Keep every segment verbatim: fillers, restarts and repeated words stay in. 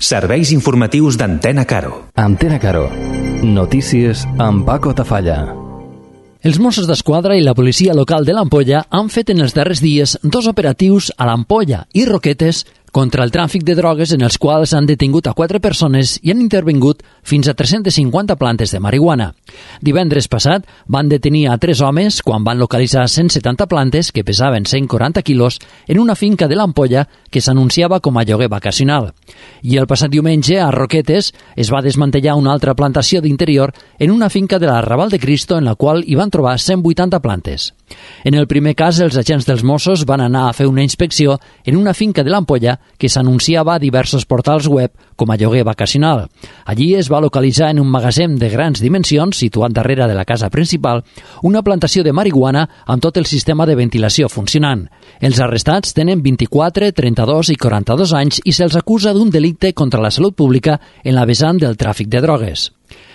Serveis informatius d'Antena Caro. Antena Caro. Notícies amb Paco Tafalla. Els Mossos d'Esquadra i la policia local de l'Ampolla han fet en els darrers dies dos operatius a l'Ampolla i Roquetes contra el tràfic de drogues, en els quals han detingut a quatre persones i han intervingut fins a tres-centes cinquanta plantes de marihuana. Divendres passat van detenir a tres homes quan van localitzar cent setanta plantes que pesaven cent quaranta quilos en una finca de l'Ampolla que s'anunciava com a lloguer vacacional. I el passat diumenge, a Roquetes, es va desmantellar una altra plantació d'interior en una finca de l'Arrabal de Cristo en la qual hi van trobar cent vuitanta plantes. En el primer cas, els agents dels Mossos van anar a fer una inspecció en una finca de l'Ampolla que s'anunciava a diversos portals web com a lloguer vacacional. Allí es va localitzar en un magatzem de grans dimensions, situat darrere de la casa principal, una plantació de marihuana amb tot el sistema de ventilació funcionant. Els arrestats tenen vint-i-quatre, trenta-dos i quaranta-dos anys i se'ls acusa d'un delicte contra la salut pública en la vessant del tràfic de drogues.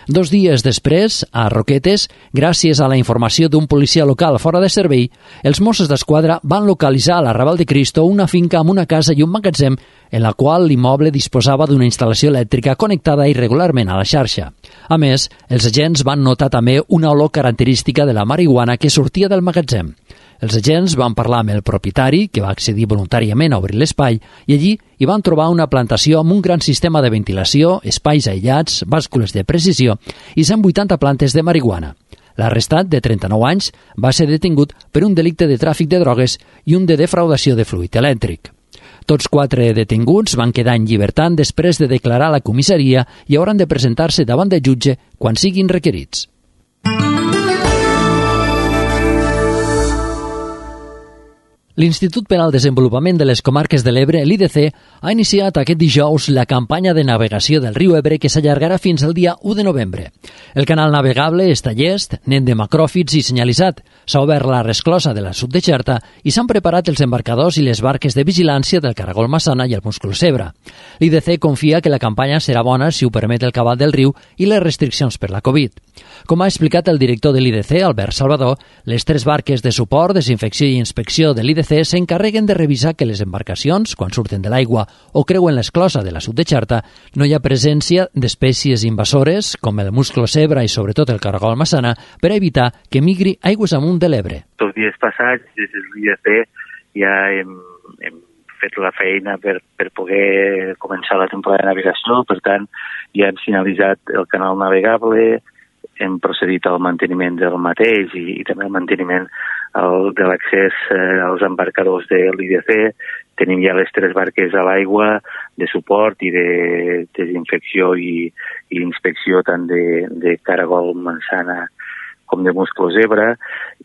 Dos dies després, a Roquetes, gràcies a la informació d'un policia local fora de servei, els Mossos d'Esquadra van localitzar a l'Arrabal de Cristo una finca amb una casa i un magatzem en la qual l'immoble disposava d'una instal·lació elèctrica connectada irregularment a la xarxa. A més, els agents van notar també una olor característica de la marihuana que sortia del magatzem. Els agents van parlar amb el propietari, que va accedir voluntàriament a obrir l'espai, i allí hi van trobar una plantació amb un gran sistema de ventilació, espais aïllats, bàscules de precisió i cent vuitanta plantes de marihuana. L'arrestat, de trenta-nou anys, va ser detingut per un delicte de tràfic de drogues i un de defraudació de fluid elèctric. Tots quatre detinguts van quedar en llibertat després de declarar a la comissaria i hauran de presentar-se davant del jutge quan siguin requerits. L'Institut per al Desenvolupament de les Comarques de l'Ebre, l'I D C, ha iniciat aquest dijous la campanya de navegació del riu Ebre que s'allargarà fins al dia u de novembre. El canal navegable està llest, net de macròfits i senyalitzat. S'ha obert la resclosa de la Sud de Xerta i s'han preparat els embarcadors i les barques de vigilància del Caragol Massana i el Musclo Zebra. L'I D C confia que la campanya serà bona si ho permet el cabal del riu i les restriccions per la Covid. Com ha explicat el director de l'I D C, Albert Salvador, les tres barques de suport, desinfecció i inspecció de l'I D C s'encarreguen de revisar que les embarcacions, quan surten de l'aigua o creuen l'esclosa de la Sud de Xerta, no hi ha presència d'espècies invasores, com el musclo zebra i sobretot el caragol massana, per evitar que migri aigües amunt de l'Ebre. Els dies passats, des de l'I D C, ja hem, hem fet la feina per, per poder començar la temporada de navegació, per tant, ja hem finalitzat el canal navegable, hem procedit al manteniment del mateix i, i també al manteniment el, de l'accés eh, als embarcadors de l'I D C. Tenim ja les tres barques a l'aigua de suport i de desinfecció i, i inspecció tant de, de caragol mansana com de musclo zebra,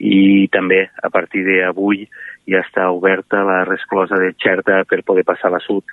i també a partir d'avui ja està oberta la resclosa de Xerta per poder passar a la sud,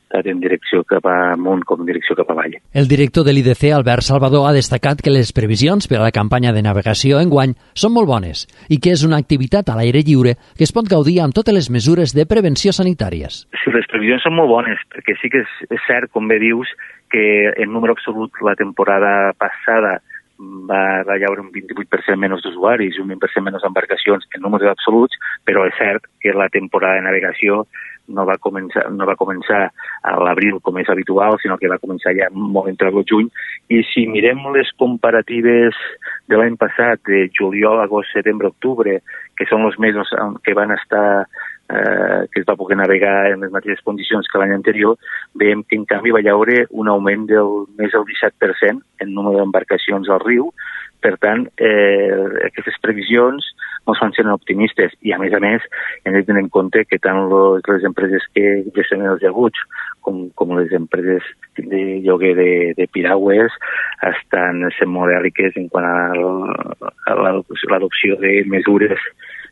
tant en direcció cap amunt com en direcció cap avall. El director de l'I D C, Albert Salvador, ha destacat que les previsions per a la campanya de navegació enguany són molt bones i que és una activitat a l'aire lliure que es pot gaudir amb totes les mesures de prevenció sanitàries. Sí, les previsions són molt bones, perquè sí que és, és cert, com bé dius, que en número absolut la temporada passada va, va haver un vint-i-vuit per cent menys d'usuaris i un vint per cent menys d'embarcacions en números absoluts, però és cert que la temporada de navegació no va començar, no va començar a l'abril com és habitual, sinó que va començar ja molt entre el juny. I si mirem les comparatives de l'any passat, de juliol, agost, setembre, octubre, que són els mesos que van estar, eh, que es va poder navegar en les mateixes condicions que l'any anterior, veiem que en canvi va haver un augment del més del disset per cent en número d'embarcacions al riu. Per tant, eh, aquestes previsions ens fan ser optimistes i, a més a més, hem de tenir en compte que tant les empreses que gestionen els llaguts com, com les empreses de lloguer de, de piragües estan sent modèliques en quant a l'adopció de mesures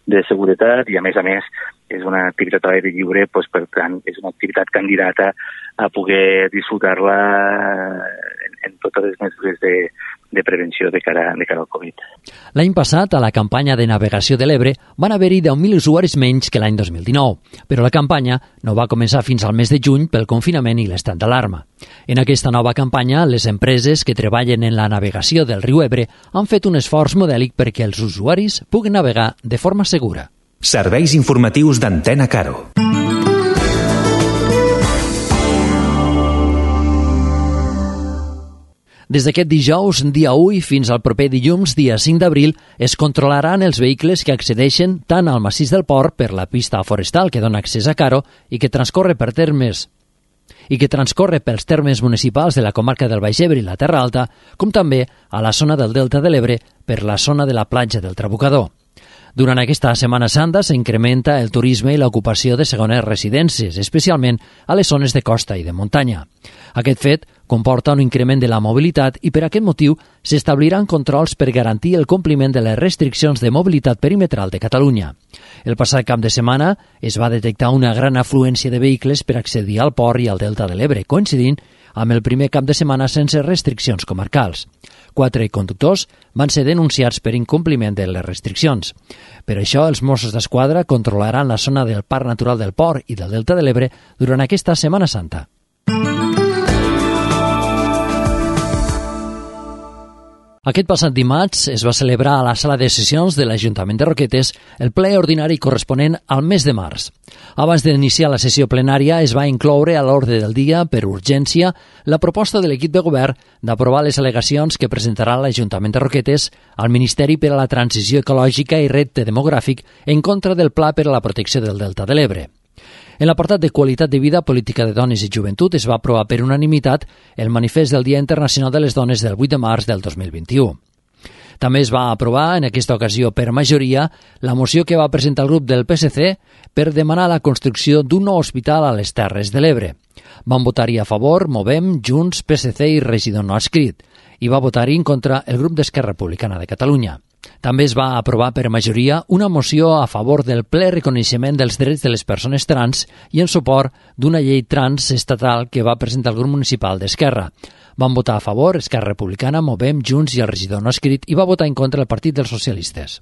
de seguretat i, a més a més, és una activitat a l'aire lliure, doncs, per tant, és una activitat candidata a poder disfrutar-la en, en totes les mesures de, de prevenció de cara, de cara al Covid. L'any passat, a la campanya de navegació de l'Ebre, van haver-hi deu mil usuaris menys que l'any dos mil dinou, però la campanya no va començar fins al mes de juny pel confinament i l'estat d'alarma. En aquesta nova campanya, les empreses que treballen en la navegació del riu Ebre han fet un esforç modèlic perquè els usuaris puguin navegar de forma segura. Serveis informatius d'Antena Caro. Des d'aquest dijous, dia u, fins al proper dilluns, dia cinc d'abril, es controlaran els vehicles que accedeixen tant al massís del port per la pista forestal que dona accés a Caro i que transcorre per termes i que transcorre pels termes municipals de la comarca del Baix Ebre i la Terra Alta, com també a la zona del Delta de l'Ebre per la zona de la platja del Trabucador. Durant aquesta Setmana Santa s'incrementa el turisme i l'ocupació de segones residències, especialment a les zones de costa i de muntanya. Aquest fet comporta un increment de la mobilitat i per aquest motiu s'establiran controls per garantir el compliment de les restriccions de mobilitat perimetral de Catalunya. El passat cap de setmana es va detectar una gran afluència de vehicles per accedir al port i al Delta de l'Ebre, coincidint amb el primer cap de setmana sense restriccions comarcals. Quatre conductors van ser denunciats per incompliment de les restriccions. Per això, els Mossos d'Esquadra controlaran la zona del Parc Natural del Port i del Delta de l'Ebre durant aquesta Setmana Santa. Aquest passat dimarts es va celebrar a la sala de sessions de l'Ajuntament de Roquetes el ple ordinari corresponent al mes de març. Abans d'iniciar la sessió plenària es va incloure a l'ordre del dia, per urgència, la proposta de l'equip de govern d'aprovar les al·legacions que presentarà l'Ajuntament de Roquetes al Ministeri per a la Transició Ecològica i Repte Demogràfic en contra del Pla per a la Protecció del Delta de l'Ebre. En l'apartat de qualitat de vida, política de dones i joventut es va aprovar per unanimitat el manifest del Dia Internacional de les Dones del vuit de març del dos mil vint-i-u. També es va aprovar, en aquesta ocasió per majoria, la moció que va presentar el grup del P S C per demanar la construcció d'un nou hospital a les Terres de l'Ebre. Van votar-hi a favor Movem, Junts, P S C i regidor no adscrit, i va votar-hi en contra el grup d'Esquerra Republicana de Catalunya. També es va aprovar per majoria una moció a favor del ple reconeixement dels drets de les persones trans i en suport d'una llei trans estatal que va presentar el grup municipal d'Esquerra. Van votar a favor Esquerra Republicana, Movem, Junts i el regidor no adscrit i va votar en contra el Partit dels Socialistes.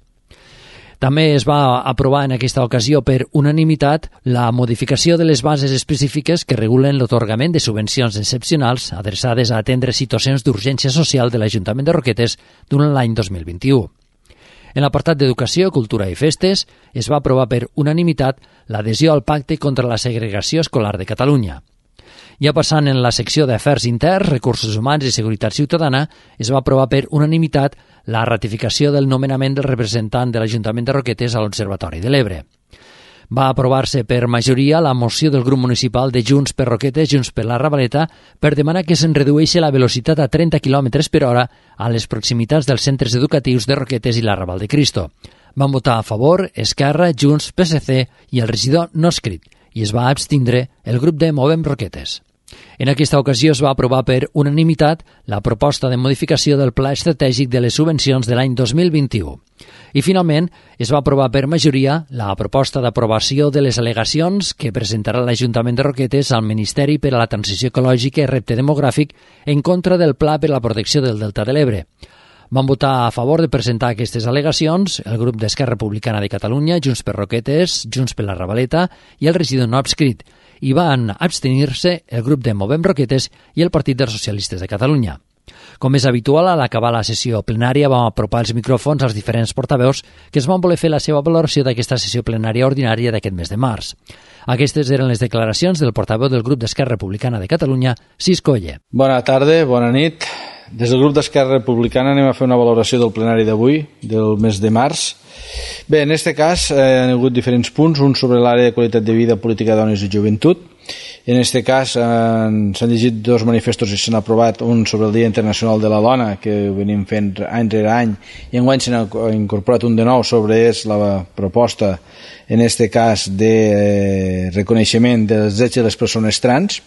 També es va aprovar en aquesta ocasió per unanimitat la modificació de les bases específiques que regulen l'atorgament de subvencions excepcionals adreçades a atendre situacions d'urgència social de l'Ajuntament de Roquetes durant l'any dos mil vint-i-u. En l'apartat d'Educació, Cultura i Festes es va aprovar per unanimitat l'adhesió al Pacte contra la Segregació Escolar de Catalunya. Ja passant en la secció d'Afers Interns, Recursos Humans i Seguretat Ciutadana, es va aprovar per unanimitat la ratificació del nomenament del representant de l'Ajuntament de Roquetes a l'Observatori de l'Ebre. Va aprovar-se per majoria la moció del grup municipal de Junts per Roquetes, Junts per la Ravaleta, per demanar que se'n redueixi la velocitat a trenta quilòmetres per hora a les proximitats dels centres educatius de Roquetes i la Raval de Cristo. Van votar a favor Esquerra, Junts, P S C i el regidor no adscrit, i es va abstindre el grup de Movem Roquetes. En aquesta ocasió es va aprovar per unanimitat la proposta de modificació del Pla Estratègic de les Subvencions de l'any dos mil vint-i-u. I finalment es va aprovar per majoria la proposta d'aprovació de les al·legacions que presentarà l'Ajuntament de Roquetes al Ministeri per a la Transició Ecològica i Repte Demogràfic en contra del Pla per a la Protecció del Delta de l'Ebre. Van votar a favor de presentar aquestes al·legacions el grup d'Esquerra Republicana de Catalunya, Junts per Roquetes, Junts per la Ravaleta i el regidor no adscrit, i van abstenir-se el grup de Movem Roquetes i el Partit dels Socialistes de Catalunya. Com és habitual, a l'acabar la sessió plenària vam apropar els micròfons als diferents portaveus que es van voler fer la seva valoració d'aquesta sessió plenària ordinària d'aquest mes de març. Aquestes eren les declaracions del portaveu del grup d'Esquerra Republicana de Catalunya, Cisco Oller. Bona tarda, bona nit. Des del grup d'Esquerra Republicana anem a fer una valoració del plenari d'avui, del mes de març. Bé, en aquest cas eh, hi ha hagut diferents punts, un sobre l'àrea de qualitat de vida, política de dones i joventut. En aquest cas eh, s'han llegit dos manifestos i s'han aprovat, un sobre el Dia Internacional de la Dona, que ho venim fent any rere any, i enguany s'ha incorporat un de nou sobre és la proposta, en aquest cas, de eh, reconeixement dels drets de les persones trans.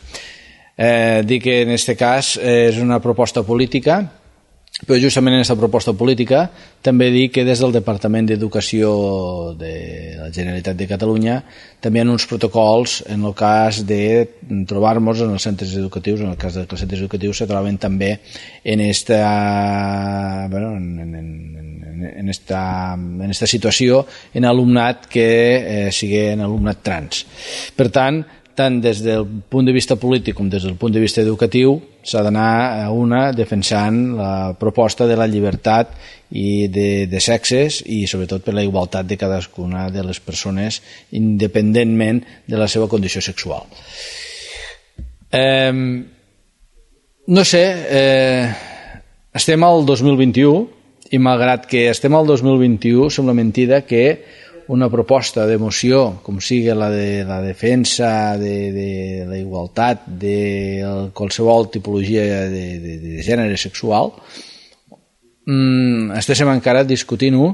Eh, dic que en aquest cas eh, és una proposta política, però justament en aquesta proposta política també dic que des del Departament d'Educació de la Generalitat de Catalunya també hi ha uns protocols en el cas de trobar-nos en els centres educatius, en el cas que els centres educatius se troben també en esta, bueno, en, en, en, en, esta, en esta situació en alumnat que eh, sigui en alumnat trans. Per tant, tant des del punt de vista polític com des del punt de vista educatiu s'ha d'anar a una defensant la proposta de la llibertat i de, de sexes i sobretot per la igualtat de cadascuna de les persones independentment de la seva condició sexual. Eh, no sé, eh, estem al dos mil vint-i-u i malgrat que estem al dos mil vint-i-u sembla mentida que una proposta de moció com sigui la de la defensa de, de la igualtat de qualsevol tipologia de, de, de gènere sexual mmm, estéssim encara discutint-ho,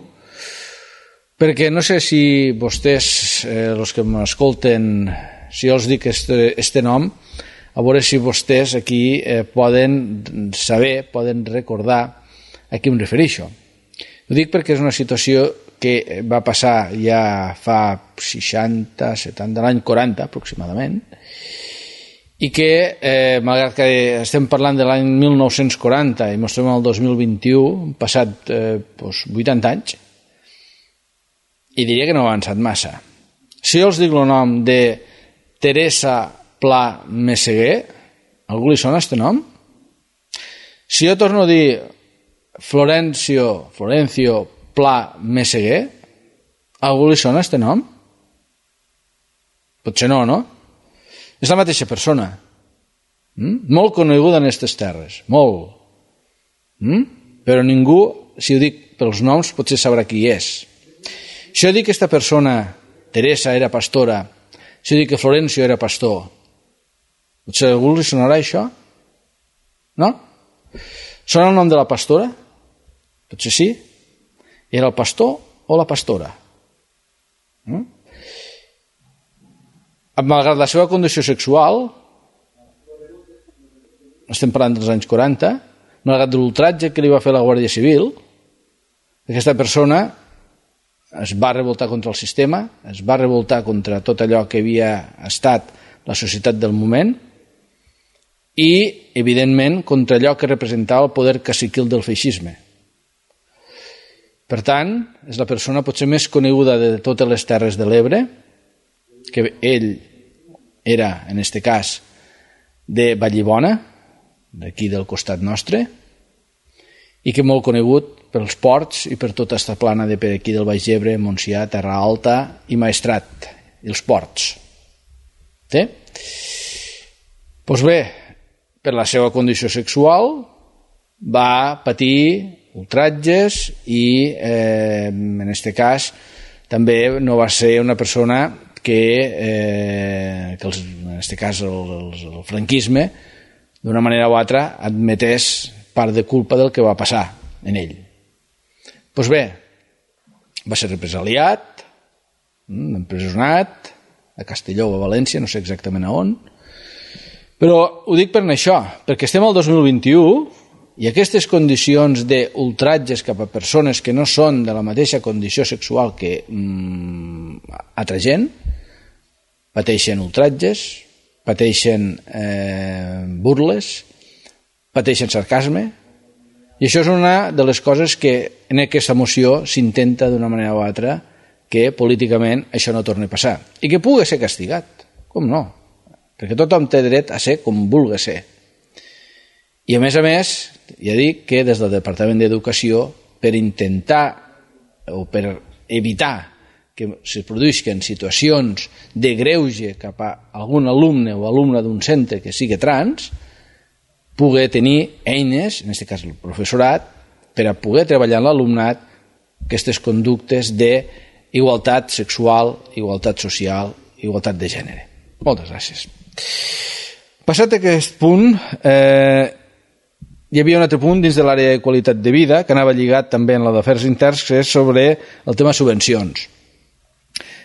perquè no sé si vostès, eh, els que m'escolten, si jo els dic este, este nom, a veure si vostès aquí eh, poden saber, poden recordar a qui em refereixo. Ho dic perquè és una situació que va passar ja fa seixanta, setanta, l'any quaranta aproximadament, i que, eh, malgrat que estem parlant de l'any mil nou-cents quaranta i ens trobem al dos mil vint-i-u, han passat eh, doncs vuitanta anys, i diria que no ha avançat massa. Si jo els dic el nom de Teresa Pla Meseguer, algú li sona este nom? Si jo torno a dir Florencio, Florencio Pla Meseguer, algú li sona este nom? Potser no, no? És la mateixa persona. Mm? Molt coneguda en aquestes terres, molt. Mm? Però ningú, si ho dic pels noms, potser sabrà qui és. Si jo dic que aquesta persona, Teresa, era pastora, si jo dic que Florencio era pastor, potser a algú li sonarà això? No? Sona el nom de la pastora? Potser sí. Era el pastor o la pastora? Mm? Malgrat la seva condició sexual, estem parlant dels anys quaranta, malgrat l'ultratge que li va fer la Guàrdia Civil, aquesta persona es va revoltar contra el sistema, es va revoltar contra tot allò que havia estat la societat del moment i, evidentment, contra allò que representava el poder caciquil del feixisme. Per tant, és la persona potser més coneguda de totes les Terres de l'Ebre, que ell era, en aquest cas, de Vallibona, d'aquí del costat nostre, i que molt conegut pels ports i per tota aquesta plana de per aquí del Baix Ebre, Montsià, Terra Alta i Maestrat, i els ports. Sí? Doncs bé, per la seva condició sexual va patir ultratges i, eh, en aquest cas, també no va ser una persona que, eh, que els, en aquest cas el, el, el franquisme, d'una manera o altra, admetés part de culpa del que va passar en ell. Doncs bé, va ser represaliat, empresonat, a Castelló o a València, no sé exactament a on, però ho dic per això, perquè estem al dos mil vint-i-u i aquestes condicions d'ultratges cap a persones que no són de la mateixa condició sexual que mm, altra gent, pateixen ultratges, pateixen eh, burles, pateixen sarcasme, i això és una de les coses que en aquesta moció s'intenta d'una manera o altra que políticament això no torni a passar i que pugui ser castigat, com no, perquè tothom té dret a ser com vulgui ser. I a més a més, ja dic que des del Departament d'Educació, per intentar o per evitar que es produïsquen situacions de greuge cap a algun alumne o alumne d'un centre que sigui trans, poder tenir eines, en aquest cas el professorat, per a poder treballar en l'alumnat aquestes conductes d'igualtat sexual, igualtat social, igualtat de gènere. Moltes gràcies. Passat aquest punt, eh, hi havia un altre punt dins de l'àrea de qualitat de vida que anava lligat també en la d'afers interns, que és sobre el tema subvencions.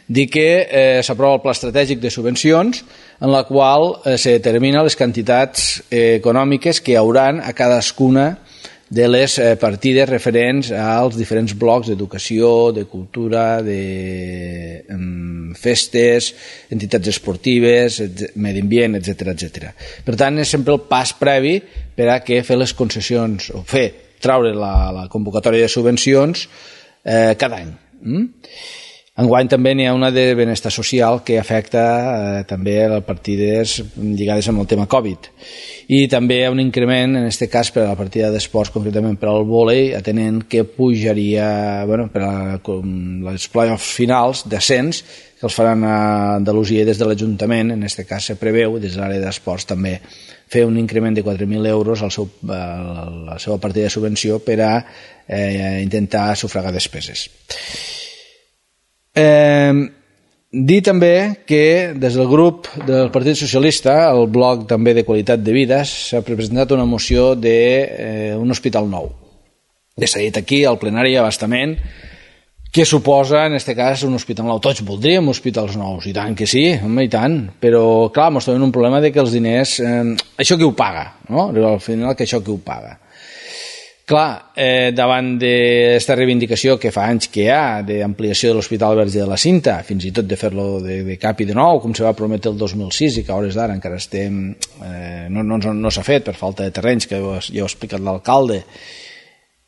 Dir que eh, s'aprova el pla estratègic de subvencions en la qual eh, se determina les quantitats eh, econòmiques que hi hauran a cadascuna de les eh, partides referents als diferents blocs d'educació, de cultura, de eh, festes, entitats esportives, medi ambient, etcètera, etcètera. Per tant, és sempre el pas previ per a que fer les concessions o fer traure la, la convocatòria de subvencions eh, cada any. Mm? Enguany també n'hi ha una de benestar social que afecta eh, també a partides lligades amb el tema Covid. I també hi ha un increment, en aquest cas per a la partida d'esports, concretament per al vòlei, atenent que pujaria, bueno, per a les play-offs finals, descens, que els faran a Andalusia des de l'Ajuntament. En aquest cas se preveu, des de l'àrea d'esports també, fer un increment de quatre mil euros al seu, a la seva partida de subvenció per a eh, intentar sufragar despeses. Eh, dir també que des del grup del Partit Socialista, el bloc també de qualitat de vida, s'ha presentat una moció d'un eh, hospital nou. Ja s'ha dit aquí al plenari abastament què suposa, en aquest cas, un hospital nou. Tots voldríem hospitals nous, i tant que sí, home, i tant, però clar, ens trobem un problema de que els diners, eh, això qui ho paga, no? Al final, que això qui ho paga. Clar, eh, davant d'aquesta reivindicació que fa anys que hi ha d'ampliació de l'Hospital Verge de la Cinta, fins i tot de fer-lo de, de cap i de nou, com se va prometre el dos mil sis i que a hores d'ara encara estem, eh, no, no, no s'ha fet per falta de terrenys, que ja ho ha explicat l'alcalde.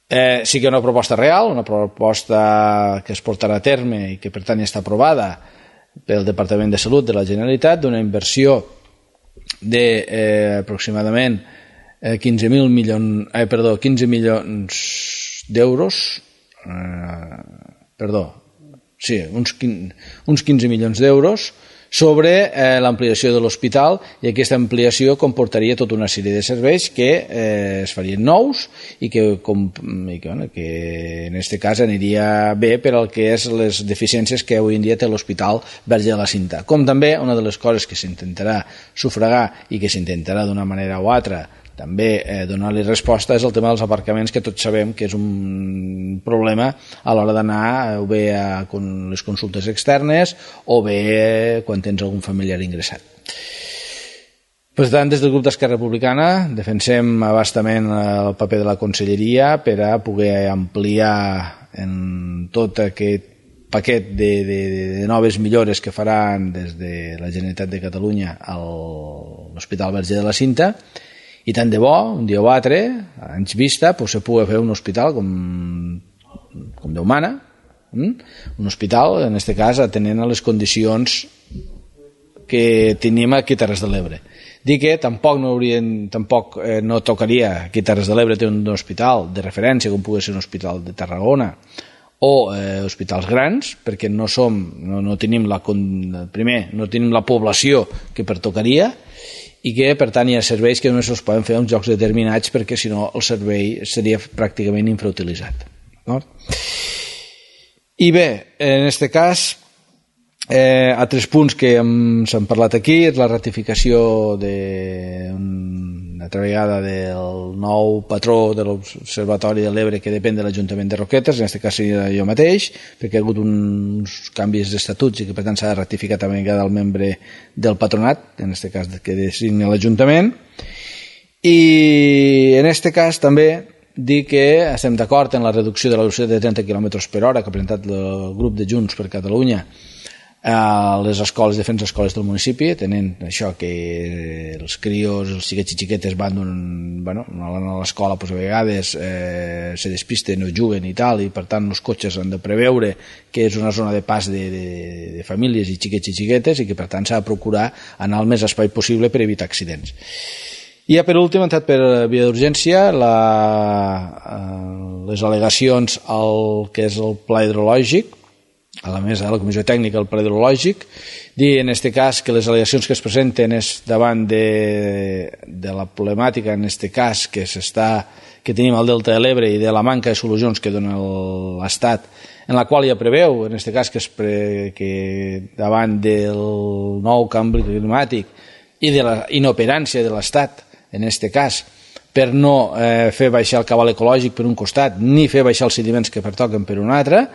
Eh, sí que una proposta real, una proposta que es portarà a terme i que per tant ja està aprovada pel Departament de Salut de la Generalitat, d'una inversió de eh, aproximadament eh, quinze mil milions, eh, perdó, quinze milions d'euros, eh, perdó, sí, uns, uns quinze milions d'euros sobre eh, l'ampliació de l'hospital, i aquesta ampliació comportaria tota una sèrie de serveis que eh, es farien nous i que, com, i que, bueno, que en aquest cas aniria bé per al que és les deficiències que avui en dia té l'Hospital Verge de la Cinta. Com també una de les coses que s'intentarà sufragar i que s'intentarà d'una manera o altra també eh, donar-li resposta és el tema dels aparcaments, que tots sabem que és un problema a l'hora d'anar o bé a les consultes externes o bé quan tens algun familiar ingressat. Per tant, des del grup d'Esquerra Republicana defensem abastament el paper de la Conselleria per a poder ampliar en tot aquest paquet de, de, de noves millores que faran des de la Generalitat de Catalunya a l'Hospital Verge de la Cinta. I tant de bo, un dia o altre, anys vista, pues, se pugui fer un hospital com, com Déu mana, mm? un hospital, en aquest cas, atenent a les condicions que tenim aquí a Terres de l'Ebre. Dic que tampoc no, haurien, tampoc, eh, no tocaria aquí a Terres de l'Ebre tenir un hospital de referència, com pugui ser un hospital de Tarragona, o eh, hospitals grans, perquè no som, no, no tenim la, primer, no tenim la població que pertocaria, i que per tant hi ha serveis que només es poden fer en llocs determinats, perquè si no el servei seria pràcticament infrautilitzat. No? I bé, en aquest cas, eh, altres punts que s'han parlat aquí és la ratificació de una altra vegada del nou patró de l'Observatori de l'Ebre, que depèn de l'Ajuntament de Roquetes, en aquest cas seria jo mateix, perquè ha hagut uns canvis d'estatuts i que per tant s'ha de ratificar també cada membre del patronat, en aquest cas que designa l'Ajuntament. I en aquest cas també dir que estem d'acord en la reducció de la velocitat de trenta quilòmetres per hora que ha presentat el grup de Junts per Catalunya a les escoles, diferents escoles del municipi, tenint això que els crios, els xiquets i xiquetes van bueno, a l'escola, doncs a vegades eh, se despisten, no juguen i tal, i per tant els cotxes han de preveure que és una zona de pas de, de, de famílies i xiquets i xiquetes i que per tant s'ha de procurar anar al més espai possible per evitar accidents. I ja per últim, entrat per via d'urgència, la, les al·legacions al que és el pla hidrològic, a la mesa de la Comissió Tècnica del Pla Hidrològic, dir en aquest cas que les al·legacions que es presenten és davant de, de la problemàtica, en aquest cas, que s'està que tenim al Delta de l'Ebre i de la manca de solucions que dona l'Estat, en la qual ja preveu, en aquest cas, que, es pre, que davant del nou canvi climàtic i de la inoperància de l'Estat, en aquest cas, per no eh, fer baixar el cabal ecològic per un costat, ni fer baixar els sediments que pertoquen per un altre,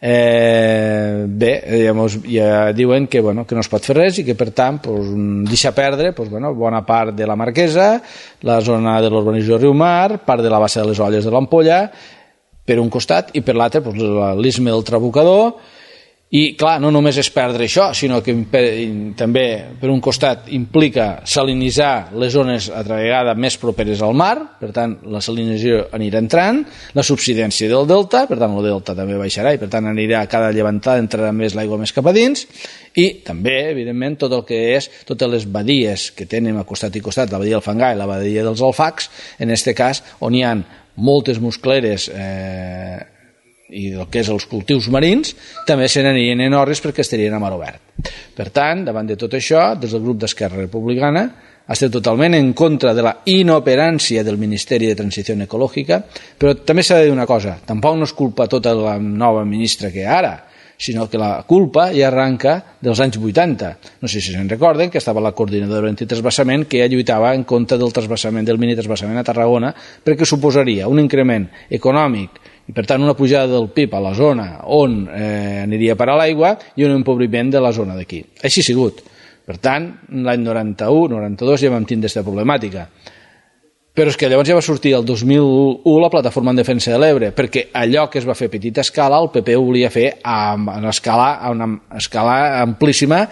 Eh, bé, ja, mos, ja diuen que, bueno, que no es pot fer res i que per tant pues, deixa perdre pues, bueno, bona part de la Marquesa, la zona de l'urbanització de Riumar, part de la bassa de les Olles de l'Ampolla per un costat i per l'altre pues, l'Istme del Trabucador I, clar, no només és perdre això, sinó que també, per un costat, implica salinitzar les zones altra vegada més properes al mar, per tant, la salinització anirà entrant, la subsidència del delta, per tant, el delta també baixarà i, per tant, anirà a cada llevantada, entrarà més l'aigua més cap a dins, i també, evidentment, tot el que és, totes les badies que tenen a costat i costat, la badia del Fangar i la badia dels Alfacs, en aquest cas, on hi ha moltes muscleres eh, i el que és els cultius marins, també se n'anirien en orris perquè estarien a mar obert. Per tant, davant de tot això, des del grup d'Esquerra Republicana estem totalment en contra de la inoperància del Ministeri de Transició Ecològica, però també s'ha de dir una cosa, tampoc no és culpa tota la nova ministra que ara, sinó que la culpa ja arranca dels anys vuitanta. No sé si se'n recorden que estava la coordinadora antitransvasament que ja lluitava en contra del transvasament, del minitransvasament a Tarragona, perquè suposaria un increment econòmic i per tant una pujada del P I B a la zona on eh, aniria a parar l'aigua i un empobriment de la zona d'aquí. Així ha sigut. Per tant, l'any noranta-u noranta-dos ja vam tindre aquesta problemàtica. Però és que llavors ja va sortir el dos mil u la plataforma en defensa de l'Ebre, perquè allò que es va fer a petita escala el P P ho volia fer a una escala, a una escala amplíssima,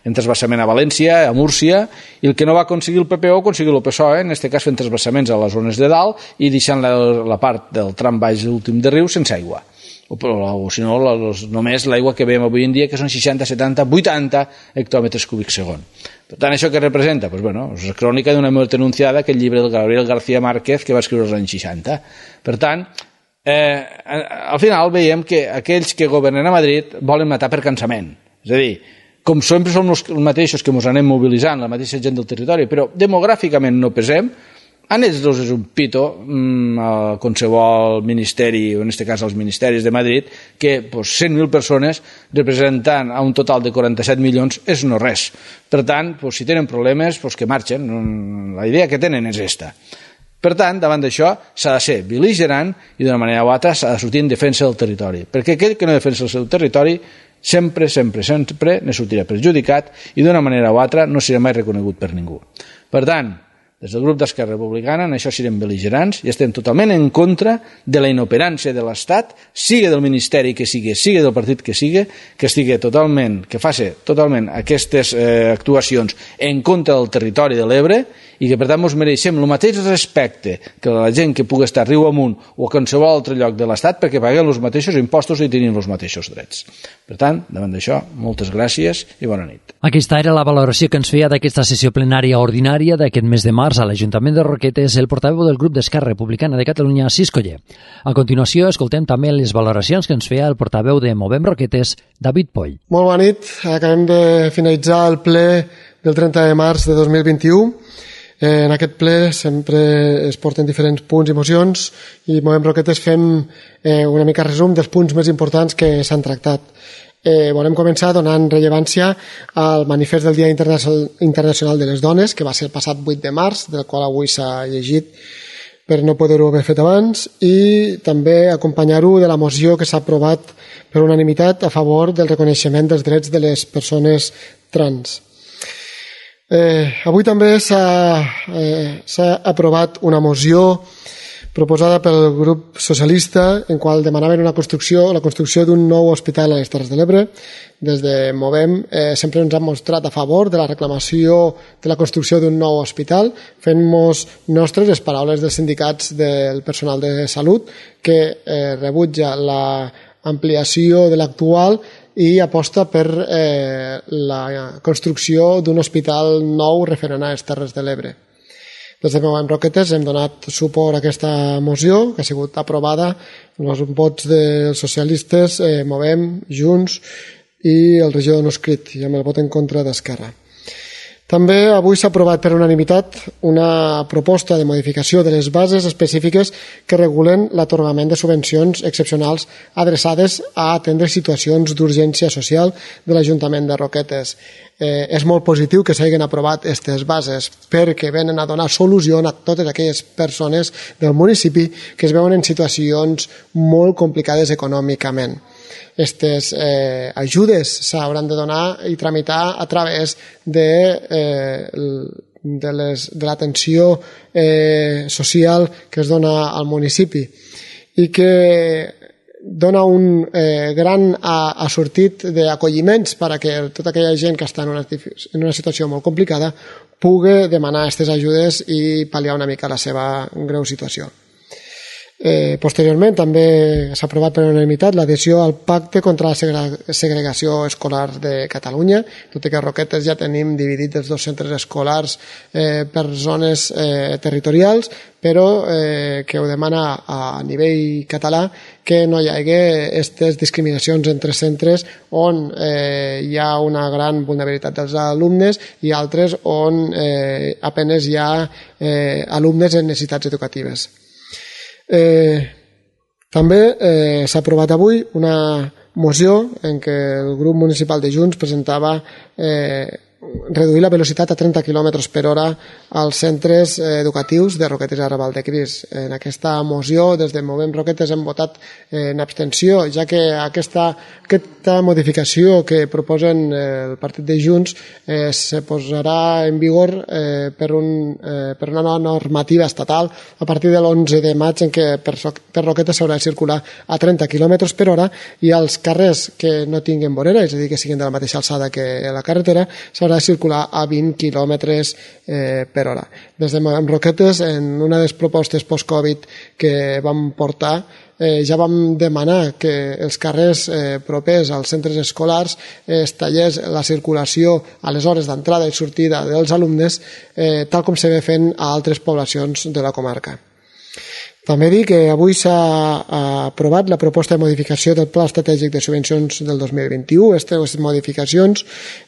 en transvasament a València, a Múrcia, i el que no va aconseguir el P P ho aconseguir el P S O E, en aquest cas fent transvasaments a les zones de dalt i deixant la, la part del tram baix últim de riu sense aigua. O, o si no, los, només l'aigua que veiem avui en dia, que són seixanta, setanta, vuitanta hectòmetres cúbics segon. Per tant, això què representa? Pues, bueno, és la crònica d'una mort anunciada, aquell llibre del Gabriel García Márquez que va escriure als anys seixanta. Per tant, eh, al final veiem que aquells que governen a Madrid volen matar per cansament. És a dir, com sempre som els mateixos que ens anem mobilitzant, la mateixa gent del territori, però demogràficament no pesem, a ells dos és un pito a qualsevol ministeri, o en aquest cas als ministeris de Madrid, que pues, cent mil persones representant a un total de quaranta-set milions és no res. Per tant, pues, si tenen problemes, pues, que marxen. La idea que tenen és esta. Per tant, davant d'això s'ha de ser bel·ligerant i d'una manera o altra s'ha de sortir en defensa del territori, perquè aquell que no defensa el seu territori sempre, sempre, sempre ne sortirà perjudicat i d'una manera o altra no serà mai reconegut per ningú. Per tant, des del grup d'Esquerra Republicana en això serem bel·ligerants i estem totalment en contra de la inoperància de l'Estat, sigui del ministeri que sigui, sigui del partit que sigui, que estigui totalment, que faci totalment aquestes eh, actuacions en contra del territori de l'Ebre i que per tant ens mereixem el mateix respecte que la gent que pugui estar a riu amunt o a qualsevol altre lloc de l'Estat perquè paguem els mateixos impostos i tenim els mateixos drets. Per tant, davant d'això, moltes gràcies i bona nit. Aquesta era la valoració que ens feia d'aquesta sessió plenària ordinària d'aquest mes de març a l'Ajuntament de Roquetes el portaveu del grup d'Esquerra Republicana de Catalunya, Cis Coller. A continuació, escoltem també les valoracions que ens feia el portaveu de Movem Roquetes, David Poll. Molt bona nit. Acabem de finalitzar el ple del trenta de març de dos mil vint-i-u. En aquest ple sempre es porten diferents punts i mocions i Movem Roquetes fem una mica resum dels punts més importants que s'han tractat. Eh, volem començar donant rellevància al manifest del Dia Internacional de les Dones, que va ser el passat vuit de març, del qual avui s'ha llegit per no poder-ho haver fet abans, i també acompanyar-ho de la moció que s'ha aprovat per unanimitat a favor del reconeixement dels drets de les persones trans. Eh, avui també s'ha eh, aprovat una moció proposada pel grup socialista en qual demanaven una construcció, la construcció d'un nou hospital a les Terres de l'Ebre. Des de Movem eh, sempre ens han mostrat a favor de la reclamació de la construcció d'un nou hospital, fent-nos nostres les paraules dels sindicats del personal de salut que eh, rebutja l'ampliació de l'actual i aposta per eh, la construcció d'un hospital nou referent a les Terres de l'Ebre. Des de Movem Roquetes hem donat suport a aquesta moció, que ha sigut aprovada amb els vots dels socialistes, eh, Movem, Junts i el regidor no escrit, i amb el vot en contra d'Esquerra. També avui s'ha aprovat per unanimitat una proposta de modificació de les bases específiques que regulen l'atorgament de subvencions excepcionals adreçades a atendre situacions d'urgència social de l'Ajuntament de Roquetes. Eh, és molt positiu que s'hagin aprovat aquestes bases perquè venen a donar solució a totes aquelles persones del municipi que es veuen en situacions molt complicades econòmicament. Aquestes eh, ajudes s'hauran de donar i tramitar a través de, eh, de, les, de l'atenció eh, social que es dona al municipi i que dona un eh, gran assortit d'acolliments perquè tota aquella gent que està en una, en una situació molt complicada pugui demanar aquestes ajudes i pal·liar una mica la seva greu situació. Eh, posteriorment també s'ha aprovat per unanimitat l'adhesió al Pacte contra la Segregació Escolar de Catalunya, tot i que a Roquetes ja tenim dividit els dos centres escolars eh, per zones eh, territorials, però eh, que ho demana a nivell català que no hi hagi aquestes discriminacions entre centres on eh, hi ha una gran vulnerabilitat dels alumnes i altres on eh, apenes hi ha eh, alumnes en necessitats educatives. Eh, també eh, s'ha aprovat avui una moció en què el grup municipal de Junts presentava eh, reduir la velocitat a trenta quilòmetres per hora als centres educatius de Roquetes i Arrabal de Cris. En aquesta moció, des de Movem Roquetes, hem votat en abstenció, ja que aquesta, aquesta modificació que proposen el partit de Junts eh, se posarà en vigor eh, per, un, eh, per una nova normativa estatal a partir de l'onze de maig, en què per, per Roquetes s'haurà de circular a trenta quilòmetres per hora i als carrers que no tinguin vorera, és a dir, que siguin de la mateixa alçada que la carretera, s'haurà de circular a vint quilòmetres eh, per hora. Des de Movem Roquetes, en una de les propostes post-Covid que vam portar, eh, ja vam demanar que els carrers eh, propers als centres escolars eh, es tallés la circulació a les hores d'entrada i sortida dels alumnes, eh, tal com se ve fent a altres poblacions de la comarca. També dir que avui s'ha aprovat la proposta de modificació del Pla Estratègic de Subvencions del dos mil vint-i-u. Aquestes modificacions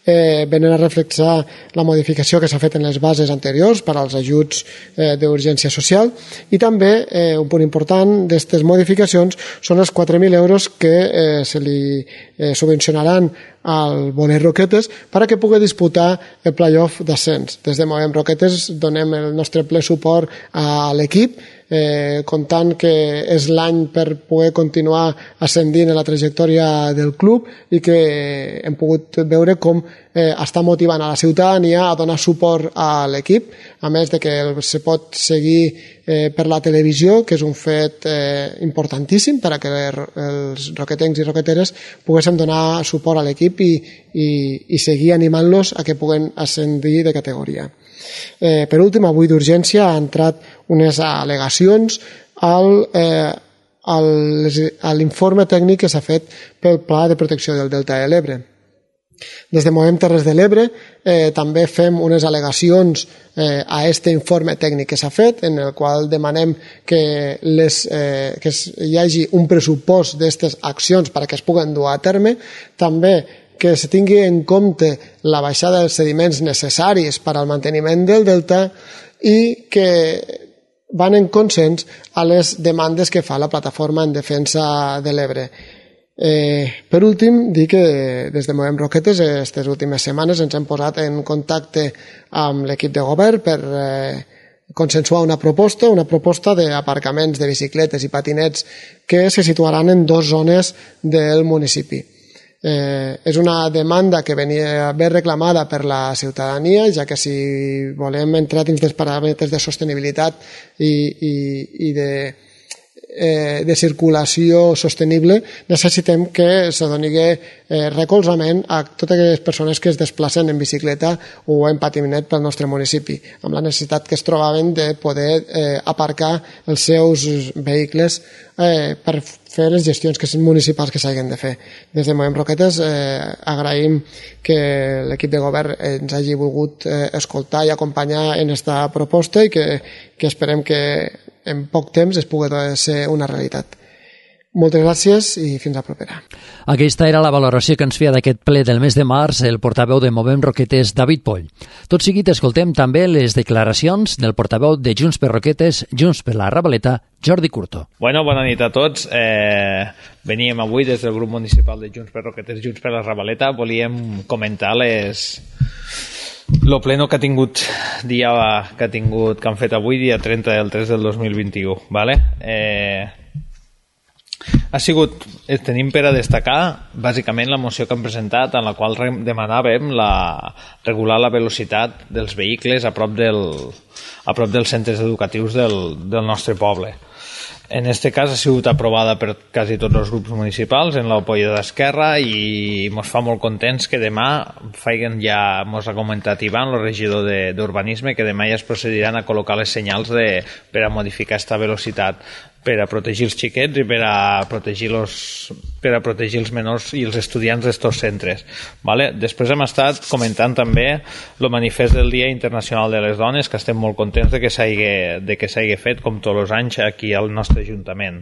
eh, venen a reflexar la modificació que s'ha fet en les bases anteriors per als ajuts eh, d'urgència social i també eh, un punt important d'aquestes modificacions són els quatre mil euros que eh, se li eh, subvencionaran al Bonet Roquetes perquè pugui disputar el play-off d'ascens. Des de Movem Roquetes donem el nostre ple suport a l'equip, eh, comptant que és l'any per poder continuar ascendint en la trajectòria del club i que hem pogut veure com eh, està motivant a la ciutadania a donar suport a l'equip, a més de que se pot seguir eh, per la televisió, que és un fet eh, importantíssim per a que els roquetencs i roqueteres poguéssim donar suport a l'equip i, i, i seguir animant-los a que puguen ascendir de categoria. Eh, per últim, avui d'urgència ha entrat unes al·legacions al, eh, al, a l'informe tècnic que s'ha fet pel Pla de Protecció del Delta de l'Ebre. Des de Movem Terres de l'Ebre eh, també fem unes al·legacions eh, a aquest informe tècnic que s'ha fet, en el qual demanem que, les, eh, que hi hagi un pressupost d'aquestes accions perquè es puguen dur a terme, també que se tingui en compte la baixada dels sediments necessaris per al manteniment del delta i que van en consens a les demandes que fa la plataforma en defensa de l'Ebre. Eh, per últim, dir que des de Movem Roquetes aquestes últimes setmanes ens hem posat en contacte amb l'equip de govern per eh, consensuar una proposta, una proposta d'aparcaments de bicicletes i patinets que se situaran en dues zones del municipi. Eh, és una demanda que venia ben reclamada per la ciutadania, ja que si volem entrar dins dels paràmetres de sostenibilitat i, i, i de, eh, de circulació sostenible, necessitem que se doni eh, recolzament a totes aquelles persones que es desplacen en bicicleta o en patinet pel nostre municipi, amb la necessitat que es trobaven de poder eh, aparcar els seus vehicles eh, per fer les gestions que són municipals que s'hagin de fer. Des de Movem Roquetes eh, agraïm que l'equip de govern ens hagi volgut eh, escoltar i acompanyar en aquesta proposta i que, que esperem que en poc temps es pugui ser una realitat. Moltes gràcies i fins a propera. Aquesta era la valoració que ens feia d'aquest ple del mes de març el portaveu de Movem Roquetes, David Poll. Tot seguit escoltem també les declaracions del portaveu de Junts per Roquetes, Junts per la Rabaleta, Jordi Curto. Bueno, bona nit a tots. Eh, veníem avui des del grup municipal de Junts per Roquetes, Junts per la Rabaleta. Volíem comentar les... lo pleno que ha tingut dia que ha tingut que han fet avui, dia trenta del tres del dos mil vint-i-u, vale? Eh, ha sigut, tenim per a destacar bàsicament la moció que han presentat en la qual demanàvem la, regular la velocitat dels vehicles a prop, del, a prop dels centres educatius del, del nostre poble. En este cas ha sigut aprovada per quasi tots els grups municipals en l'apoyo d'Esquerra i ens fa molt contents que demà feien ja, ens ha comentat Ivan, el regidor d'Urbanisme, que demà ja es procediran a col·locar les senyals de, per a modificar aquesta velocitat per a protegir els xiquets i per a protegir, los, per a protegir els menors i els estudiants d'estos centres. Vale? Després hem estat comentant també el manifest del Dia Internacional de les Dones, que estem molt contents de que s'hagi fet, com tots els anys, aquí al nostre Ajuntament.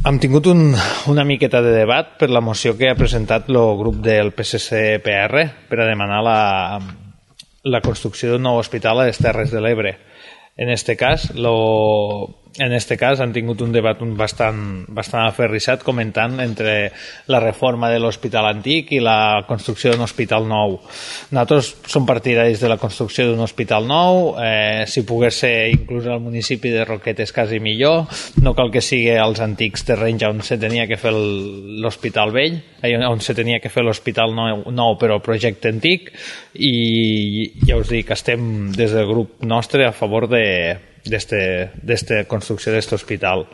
Hem tingut un, una miqueta de debat per la moció que ha presentat el grup del P S C P R per a demanar la, la construcció d'un nou hospital a les Terres de l'Ebre. En este cas, lo, en este cas han tingut un debat bastant, bastant aferrissat comentant entre la reforma de l'hospital antic i la construcció d'un hospital nou. Nosaltres som partidaris de la construcció d'un hospital nou, eh, si pogués ser inclús al municipi de Roquetes quasi millor, no cal que sigui als antics terrenys on se tenia que fer l'hospital vell, on se tenia que fer l'hospital nou, nou però projecte antic, i ja us dic que estem des del grup nostre a favor de d'esta construcció d'aquest hospital.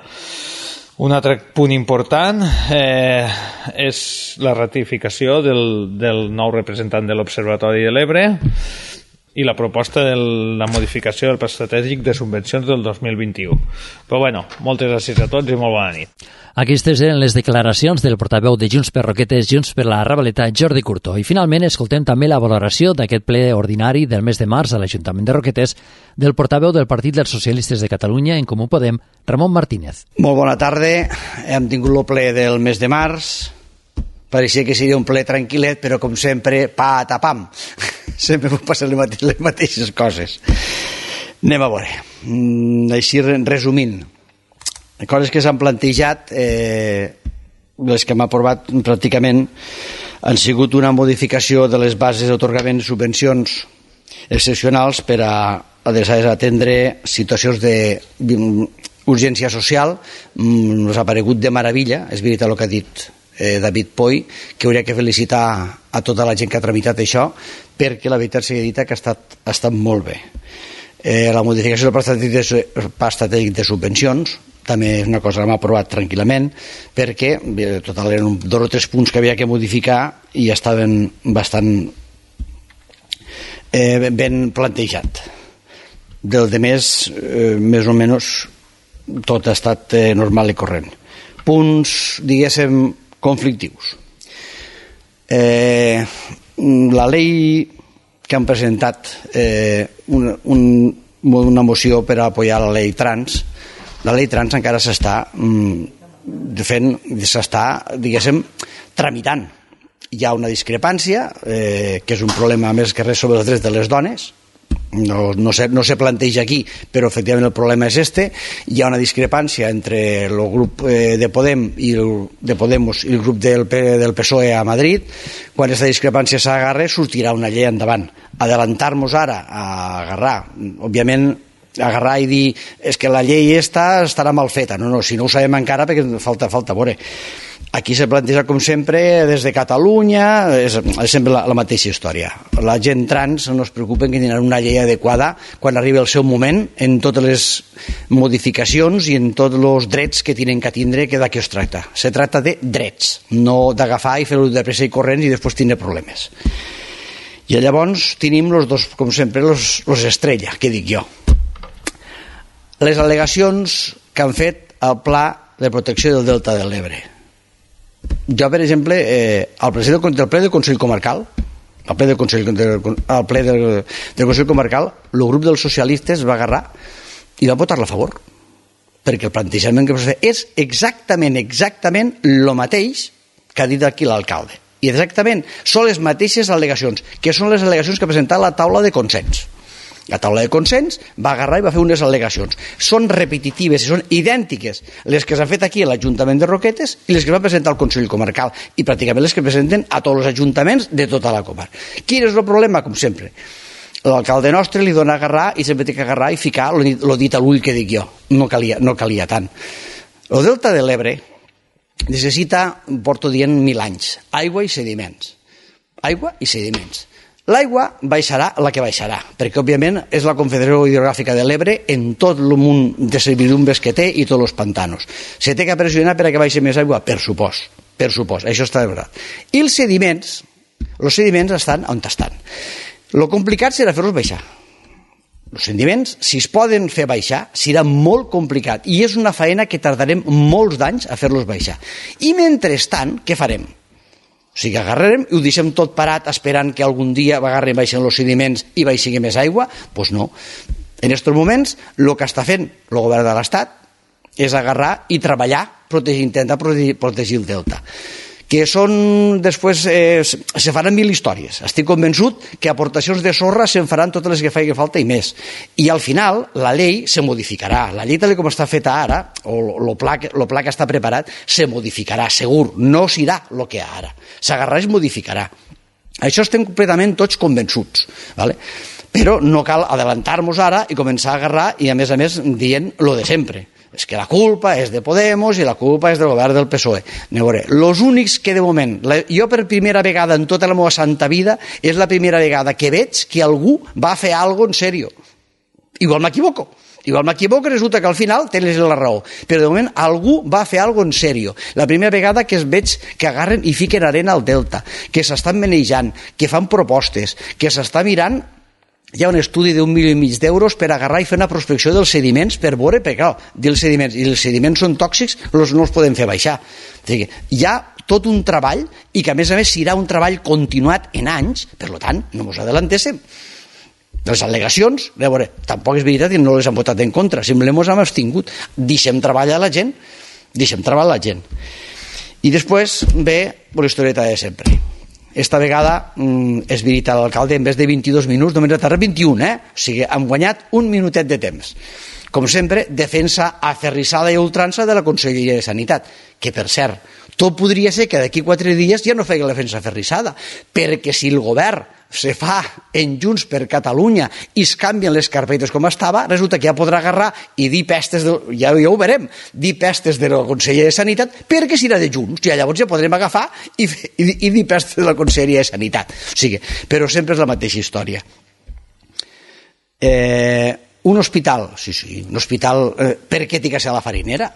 Un altre punt important eh, és la ratificació del, del nou representant de l'Observatori de l'Ebre i la proposta de la modificació del pla estratègic de subvencions del dos mil vint-i-u. Però bueno, moltes gràcies a tots i molt bona nit. Aquestes eren les declaracions del portaveu de Junts per Roquetes, Junts per la Ravaleta, Jordi Curto. I finalment escoltem també la valoració d'aquest ple ordinari del mes de març a l'Ajuntament de Roquetes del portaveu del Partit dels Socialistes de Catalunya, En Comú Podem, Ramon Martínez. Molt bona tarda. Hem tingut el ple del mes de març. Pareixia que seria un ple tranquil·let, però com sempre, pa a tapam. Sempre puc passar les mateixes coses. Anem a veure. Així, resumint, coses que s'han plantejat, eh, les que hem aprovat pràcticament han sigut una modificació de les bases d'atorgament de subvencions excepcionals per a adreçades a atendre situacions d'urgència social. Ens ha paregut de meravella, és veritat el que ha dit eh, David Poi, que hauria que felicitar a tota la gent que ha tramitat això, perquè la veritat sigui dita que ha estat, ha estat molt bé. Eh, la modificació del pla estratègic de, pla estratègic de subvencions també és una cosa que hem aprovat tranquil·lament, perquè en total eren dos o tres punts que havia que modificar i estaven bastant eh, ben plantejat. Del de més, eh, més o menys tot ha estat eh, normal i corrent. Punts, diguéssim, conflictius. Eh, la llei que han presentat, eh, un, un, una moció per a apoyar la llei trans, la llei trans encara s'està fent, s'està, diguéssim, tramitant. Hi ha una discrepància, eh, que és un problema més que res sobre els drets de les dones, no, no, se, no se planteja aquí, però efectivament el problema és este. Hi ha una discrepància entre el grup eh, de Podem i el, de Podemos i el grup del, del P S O E a Madrid. Quan aquesta discrepància s'agarra, sortirà una llei endavant. Adelantar-nos ara a agarrar, òbviament, agarrar i dir és que la llei esta estarà mal feta. No, no, si no ho sabem encara perquè falta, falta veure. Aquí se planteja com sempre des de Catalunya, és, és sempre la, la mateixa història. La gent trans no es preocupen que tindran una llei adequada quan arribi el seu moment en totes les modificacions i en tots els drets que tenen que tindre, que d'aquí es tracta. Se tracta de drets, no d'agafar i fer-ho de pressa i corrents i després tindre problemes. I llavors tenim els dos, com sempre, los, los estrella, que dic jo. Les al·legacions que han fet al Pla de Protecció del Delta de l'Ebre. Jo, per exemple, eh, al president del ple del Consell Comarcal, al ple del Consell, al ple del, del Consell Comarcal, el grup dels socialistes va agarrar i va votar-la a favor, perquè el plantejament que es va fer és exactament, exactament el mateix que ha dit aquí l'alcalde. I exactament són les mateixes al·legacions, que són les al·legacions que ha presentat la taula de consens. La taula de consens va agarrar i va fer unes al·legacions. Són repetitives i són idèntiques les que s'han fet aquí a l'Ajuntament de Roquetes i les que va presentar el Consell Comarcal i pràcticament les que presenten a tots els ajuntaments de tota la comarca. Quin és el problema? Com sempre, l'alcalde nostre li dona a agarrar i sempre té que agarrar i ficar el dit a l'ull que dic jo. No calia, no calia tant. El Delta de l'Ebre necessita, porto dient mil anys, aigua i sediments. Aigua i sediments. L'aigua baixarà la que baixarà, perquè òbviament és la Confederació Hidrogràfica de l'Ebre en tot el munt de servidumbres que té i tots els pantanos. Se té que pressionar per a que baixi més aigua? Per supost, per supost, això està de veritat. I els sediments, els sediments estan on estan. Lo complicat serà fer-los baixar. Els sediments, si es poden fer baixar, serà molt complicat i és una feina que tardarem molts d'anys a fer-los baixar. I mentrestant, què farem? O sigui, agarrarem i ho deixem tot parat esperant que algun dia agarrem baixen els sediments i baixi més aigua? Doncs no. En aquests moments, el que està fent el govern de l'Estat és agarrar i treballar, protegir, intentar protegir, protegir el delta. Que són, després, eh, se faran mil històries. Estic convençut que aportacions de sorra se'n faran totes les que faci falta i més. I al final, la llei se modificarà. La llei tal com està feta ara, o el pla, el pla que està preparat, se modificarà, segur. No serà el que ara. S'agarrarà i es modificarà. Això estem completament tots convençuts. Vale? Però no cal adelantar-nos ara i començar a agarrar i, a més a més, dient lo de sempre. És que la culpa és de Podemos i la culpa és del govern del P S O E. No veuré. Los únics que de moment, la, jo per primera vegada en tota la meva santa vida, és la primera vegada que veig que algú va fer alguna cosa en sèrio. Igual m'equivoco. Igual m'equivoco i resulta que al final tens la raó. Però de moment algú va fer alguna cosa en sèrio. La primera vegada que es veig que agarren i fiquen arena al delta, que s'estan manejant, que fan propostes, que s'està mirant. Hi ha un estudi d'un milió i mig d'euros per agarrar i fer una prospecció dels sediments per veure, perquè clar, dels sediments, i els sediments són tòxics, els no els podem fer baixar. O sigui, hi ha tot un treball i que a més a més serà un treball continuat en anys, per tant, no ens adelantéssim. Les al·legacions, a veure, tampoc és veritat que no les han votat en contra, simplement ens hem abstingut. Deixem treballar la gent, deixem treballar la gent. I després ve la historieta de sempre. Esta vegada, és veritat, l'alcalde en vez de vint-i-dos minuts només ha tardat vint-i-un, eh? O sigui, hem guanyat un minutet de temps. Com sempre, defensa aferrissada i ultrança de la Conselleria de Sanitat, que per cert, tot podria ser que d'aquí quatre dies ja no feia la defensa aferrissada, perquè si el govern se fa en Junts per Catalunya i es canvien les carpetes com estava, resulta que ja podrà agarrar i dir pestes, de, ja, ja ho veurem, dir pestes de la Conselleria de Sanitat perquè serà de Junts, ja llavors ja podrem agafar i, i, i dir pestes de la Conselleria de Sanitat. O sigui, però sempre és la mateixa història. Eh, un hospital, sí, sí, un hospital, eh, per què té que ser a la Farinera?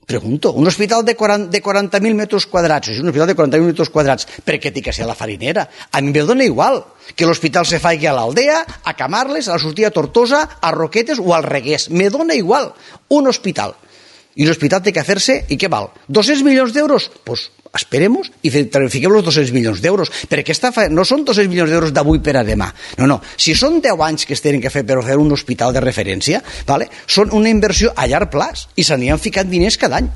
Pregunto, un hospital de quaranta mil metres quadrats, un hospital de quaranta mil metres quadrats, per què té que ser a la Farinera? A mi em dona igual que l'hospital se faci a l'Aldea, a Camarles, a la sortida a Tortosa, a Roquetes o al Regués. Me dona igual. Un hospital. I l'hospital té que fer-se, i què val? dos-cents milions d'euros? Doncs pues, esperemos i fiquem els dos-cents milions d'euros, perquè esta fa... no són dos-cents milions d'euros d'avui per a demà. No, no. Si són deu anys que es tenen que fer per fer un hospital de referència, vale? Són una inversió a llarg plaç i se n'hi han ficat diners cada any.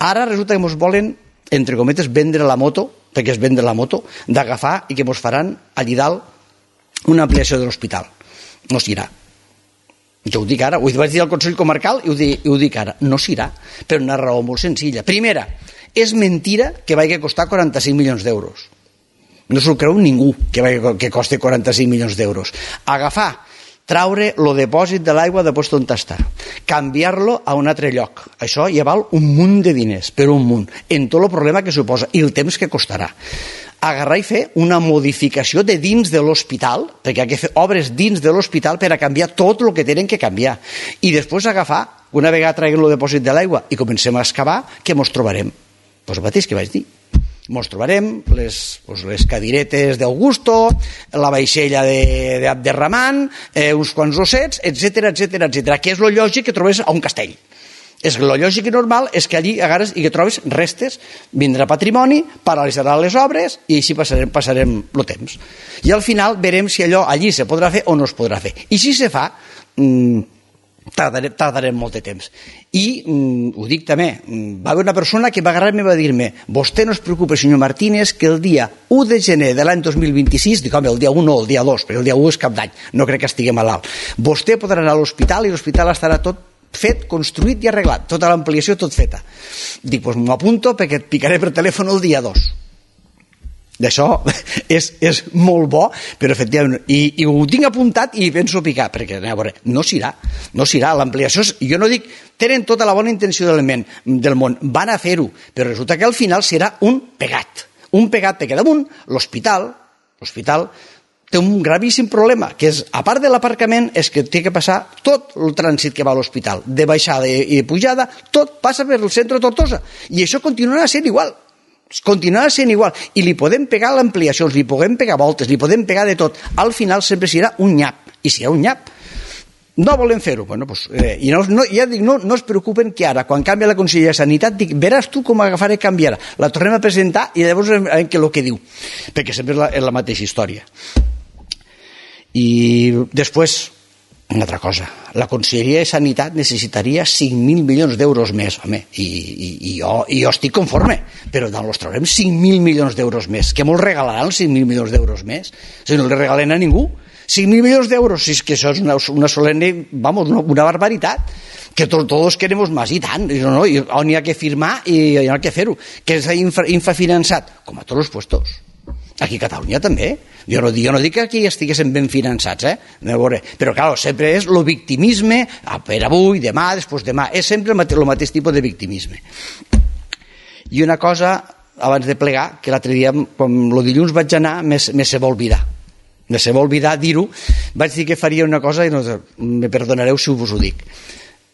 Ara resulta que ens volen, entre cometes, vendre la moto, perquè és vendre la moto, d'agafar i que ens faran allí dalt una ampliació de l'hospital. No s'irà. Jo ho dic ara, ho vaig dir al Consell Comarcal i ho dic, i ho dic ara, no s'irà, per una raó molt senzilla. Primera, és mentira que vagi a costar quaranta-cinc milions d'euros. No s'ho creu ningú que, vagi, que costi quaranta-cinc milions d'euros. Agafar, traure el depòsit de l'aigua de post on està, canviar-lo a un altre lloc. Això ja val un munt de diners, per un munt, en tot el problema que suposa i el temps que costarà. Agarrar i fer una modificació de dins de l'hospital, perquè hi ha que fer obres dins de l'hospital per a canviar tot el que tenen que canviar. I després agafar, una vegada traguem el depòsit de l'aigua i comencem a excavar, què mos trobarem? Doncs el mateix que vaig dir. Mos trobarem les, pues, les cadiretes d'Augusto, la vaixella d'Abderramán, eh, uns quants ossets, etcètera, etcètera, etcètera, que és lo lògic que trobes a un castell. És lo lògic i normal és que allí agarres i que trobes restes, vindrà patrimoni, paralitzarà les obres i així passarem, passarem el temps. I al final verem si allò allí se podrà fer o no es podrà fer. I si se fa, mmm, tardarem, tardarem molt de temps. I, mmm, ho dic també, va haver una persona que va agarrar-me i va dir-me: vostè no es preocupa, senyor Martínez, que el dia u de gener de l'any dos mil vint-i-sis, dic, home, el dia u no, el dia dos, perquè el dia u és cap d'any, no crec que estigui malalt, vostè podrà anar a l'hospital i l'hospital estarà tot fet, construït i arreglat, tota l'ampliació tot feta. Dic, doncs m'ho apunto perquè et picaré per telèfon el dia dos. D'això és, és molt bo, però efectivament, i, i ho tinc apuntat i penso picar, perquè a veure, no s'irà, no s'irà, l'ampliació, jo no dic, tenen tota la bona intenció del món, del món, van a fer-ho, però resulta que al final serà un pegat, un pegat, perquè damunt l'hospital, l'hospital té un gravíssim problema, que és, a part de l'aparcament, és que té que passar tot el trànsit que va a l'hospital, de baixada i pujada, tot passa per el centre de Tortosa, i això continuarà sent igual, continuarà sent igual, i li podem pegar l'ampliacions, li podem pegar voltes, li podem pegar de tot, al final sempre serà un nyap, i si hi ha un nyap, no volem fer-ho, bueno, pues, eh, i no, no, ja dic, no, no es preocupen que ara, quan canvia la Conselleria de Sanitat, dic, veràs tu com agafaré canviarà, la tornem a presentar i llavors veurem què és el que diu, perquè sempre és la, és la mateixa història. I després, una altra cosa, la Conselleria de Sanitat necessitaria cinc mil milions d'euros més, home, i, i, i, jo, i jo estic conforme, però no els traurem cinc mil milions d'euros més, que molt regalaran els cinc mil milions d'euros més, si no els regalen a ningú. cinc mil milions d'euros, si és que això és una, una solemne, vamos, una, una barbaritat, que to, todos queremos más, i tant, i no, no, i on hi ha que firmar i hi ha que fer-ho, que és infra, infrafinançat, com a tots els puestos. Aquí a Catalunya també, jo no, jo no dic que aquí estiguessin ben finançats, eh? Però clar, sempre és el victimisme, per avui, demà, després demà, és sempre el mateix, el mateix tipus de victimisme. I una cosa, abans de plegar, que l'altre dia, quan el dilluns vaig anar, me se va oblidar. Me se va oblidar dir-ho, vaig dir que faria una cosa i no, me perdonareu si us ho dic.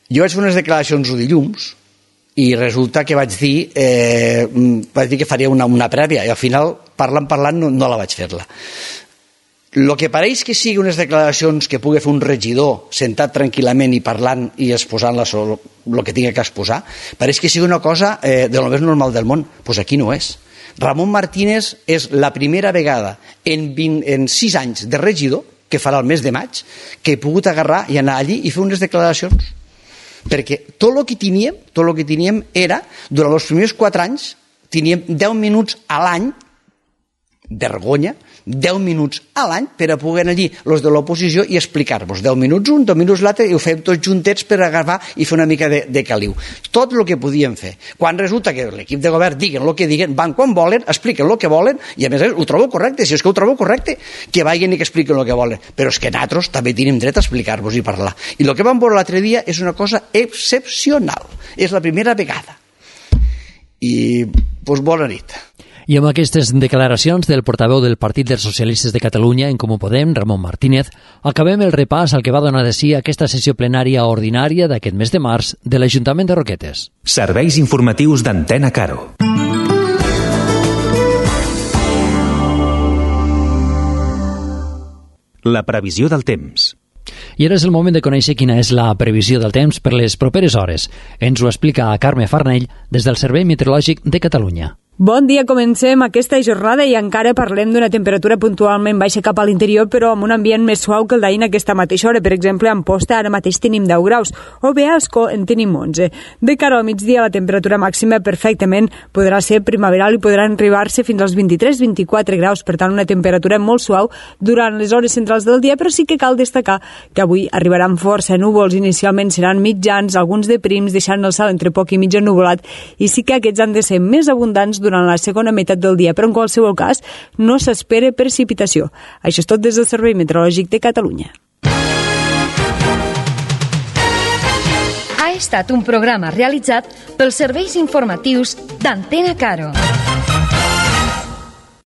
Jo vaig fer unes declaracions el dilluns i resulta que vaig dir, eh, vaig dir que faria una, una prèvia i al final, parlant, parlant, no, no la vaig fer-la. El que pareix que sigui unes declaracions que pugui fer un regidor sentat tranquil·lament i parlant i exposant el que tingui que exposar, pareix que sigui una cosa eh, de lo més normal del món. Doncs pues aquí no és. Ramon Martínez és la primera vegada en, vint, en sis anys de regidor, que farà el mes de maig, que he pogut agarrar i anar allí i fer unes declaracions. Perquè tot el que teníem, tot el que teníem era, durant els primers quatre anys, teníem deu minuts a l'any, vergonya, deu minuts a l'any per a poder anar allí els de l'oposició i explicar-vos deu minuts un, deu minuts l'altre i ho fem tots juntets per agafar i fer una mica de, de caliu. Tot el que podíem fer. Quan resulta que l'equip de govern diguen el que diguen, van quan volen, expliquen el que volen i a més ho trobo correcte, si és que ho trobo correcte, que vagin i que expliquen el que volen. Però és que nosaltres també tenim dret a explicar-vos i parlar. I el que vam veure l'altre dia és una cosa excepcional. És la primera vegada. I, doncs, bona nit. I amb aquestes declaracions del portaveu del Partit dels Socialistes de Catalunya, en Comú Podem, Ramon Martínez, acabem el repàs al que va donar de si aquesta sessió plenària ordinària d'aquest mes de març de l'Ajuntament de Roquetes. Serveis informatius d'Antena Caro. La previsió del temps. I ara és el moment de conèixer quina és la previsió del temps per les properes hores. Ens ho explica Carme Farnell des del Servei Meteorològic de Catalunya. Bon dia, comencem aquesta jornada i encara parlem d'una temperatura puntualment baixa cap a l'interior, però amb un ambient més suau que el d'ahir en aquesta mateixa hora. Per exemple, a Amposta ara mateix tenim deu graus, o bé a Ascó en tenim onze. De cara al migdia, la temperatura màxima perfectament podrà ser primaveral i podrà arribar-se fins als vint-i-tres vint-i-quatre graus, per tant una temperatura molt suau durant les hores centrals del dia, però sí que cal destacar que avui arribaran força núvols, inicialment seran mitjans, alguns de prims, deixant el cel entre poc i mig ennuvolat, i sí que aquests han de ser més abundants durant la segona meitat del dia, però en qualsevol cas no s'espera precipitació. Això és tot des del Servei Meteorològic de Catalunya. Ha estat un programa realitzat pels serveis informatius d'Antena Caro.